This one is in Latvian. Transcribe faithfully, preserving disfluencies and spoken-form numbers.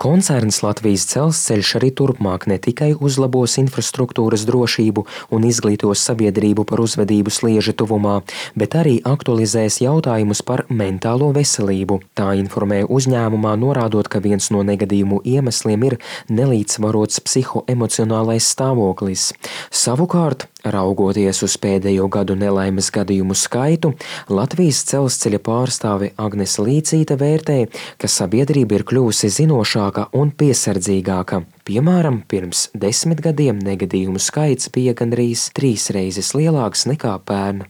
Koncerns Latvijas Dzelzceļš arī turpmāk ne tikai uzlabos infrastruktūras drošību un izglītos sabiedrību par uzvedību slieža tuvumā, bet arī aktualizēs jautājumus par mentālo veselību. Tā informē uzņēmumā, norādot, ka viens no negadījumu iemesliem ir nelīdzsvarots psihoemocionālais stāvoklis. Savukārt, raugoties uz pēdējo gadu nelaimes gadījumu skaitu, Latvijas Dzelzceļa pārstāve Agnese Līcīte vērtē, ka sabiedrība ir kļuvusi zinošāka un piesardzīgāka. Piemēram, pirms desmit gadiem negadījumu skaits bija gandrīz trīs reizes lielāks nekā pērn.